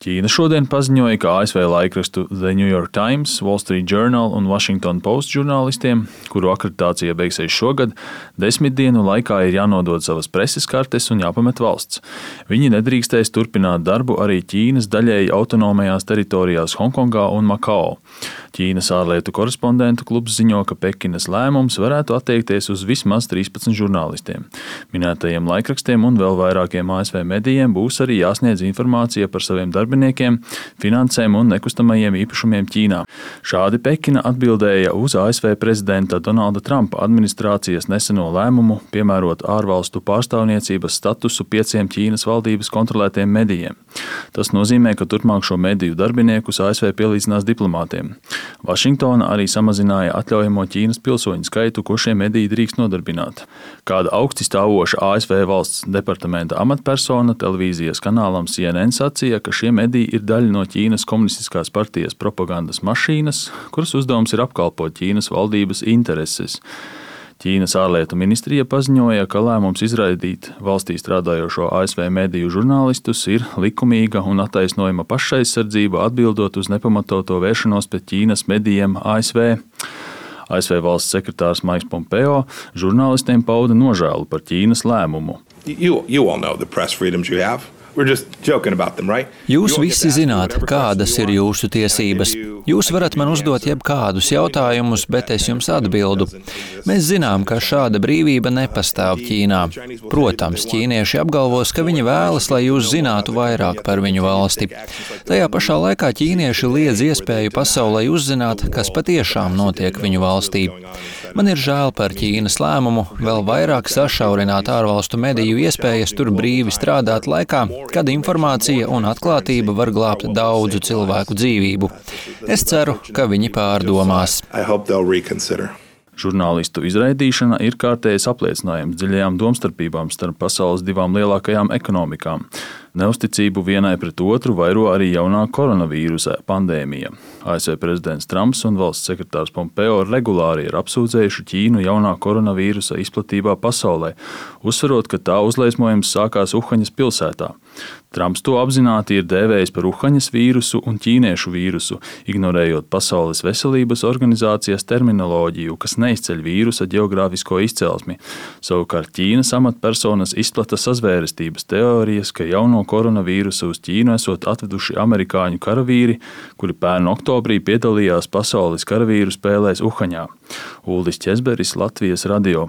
Ķīna šodien paziņoja, ka ASV laikrakstu The New York Times, Wall Street Journal un Washington Post žurnālistiem, kuru akreditācija beigsies šogad, 10 dienu laikā ir jānodod savas preses kartes un jāpamet valsts. Viņi nedrīkstēs turpināt darbu arī Ķīnas daļēji autonomajās teritorijās Honkongā un Makao. Ķīnas ārlietu korespondentu klubs ziņo, ka Pekinas lēmums varētu attiekties uz vismaz 13 žurnālistiem. Minētajiem laikrakstiem un vēl vairākiem ASV medijiem būs arī jāsniedz informācija par saviem darbiniekiem, finansēm un nekustamajiem īpašumiem Ķīnā. Šādi Pekina atbildēja uz ASV prezidenta Donalda Trumpa administrācijas neseno lēmumu piemērot ārvalstu pārstāvniecības statusu 5 Ķīnas valdības kontrolētiem medijiem. Tas nozīmē, ka turpmāk šo mediju darbiniekus ASV pielīdzinās diplomātiem. Vašingtona arī samazināja atļaujamo Ķīnas pilsoņu skaitu, ko šie mediji drīkst nodarbināt. Kāda augsti stāvoša ASV valsts departamenta amatpersona televīzijas kanālam CNN sacīja, ka šie mediji ir daļa no Ķīnas komunistiskās partijas propagandas mašīnas, kuras uzdevums ir apkalpot Ķīnas valdības intereses. Ķīnas ārlietu ministrija paziņoja, ka lēmums izraidīt valstī strādājošo ASV mediju žurnālistus ir likumīga un attaisnojama pašaizsardzība atbildot uz nepamatoto vēršanos pret Ķīnas medijiem ASV. ASV valsts sekretārs Maiks Pompeo žurnālistiem pauda nožēlu par Ķīnas lēmumu. You all know the press freedoms you have. We're just joking about them, right? Jūs visi zināt, kādas ir jūsu tiesības. Jūs varat man uzdot jebkādus jautājumus, bet es jums atbildu. Mēs zinām, ka šāda brīvība nepastāv Ķīnā. Protams, ķīnieši apgalvos, ka viņi vēlas, lai jūs zinātu vairāk par viņu valsti. Tajā pašā laikā ķīnieši liedz iespēju pasaulē uzzināt, kas patiešām notiek viņu valstī. Man ir žēl par Ķīnas lēmumu vēl vairāk sašaurināt ārvalstu mediju iespējas tur brīvi strādāt laikā, kad informācija un atklātība var glābt daudzu cilvēku dzīvību. Es ceru, ka viņi pārdomās. Žurnālistu izraidīšana ir kārtējs apliecinājums dziļajām domstarpībām starp pasaules divām lielākajām ekonomikām. Neusticību vienai pret otru vairo arī jaunā koronavīrusa pandēmija. ASV prezidents Trumps un valsts sekretārs Pompeo regulāri ir apsūdzējuši Ķīnu jaunā koronavīrusa izplatībā pasaulē, uzsverot, ka tā uzliesmojums sākās Uhaņas pilsētā. Trumps to apzināti ir dēvējis par Uhaņas vīrusu un ķīniešu vīrusu, ignorējot Pasaules veselības organizācijas terminoloģiju, kas neizceļ vīrusa ģeogrāfisko izcelsmi. Savukārt Ķīnas amatpersonas izplata sazvērestības teorijas, ka jauno koronavīrusu uz Ķīnu esot atveduši amerikāņu karavīri, kuri pērn oktobrī piedalījās pasaules karavīru spēlēs Uhaņā. Uldis Česberis, Latvijas radio.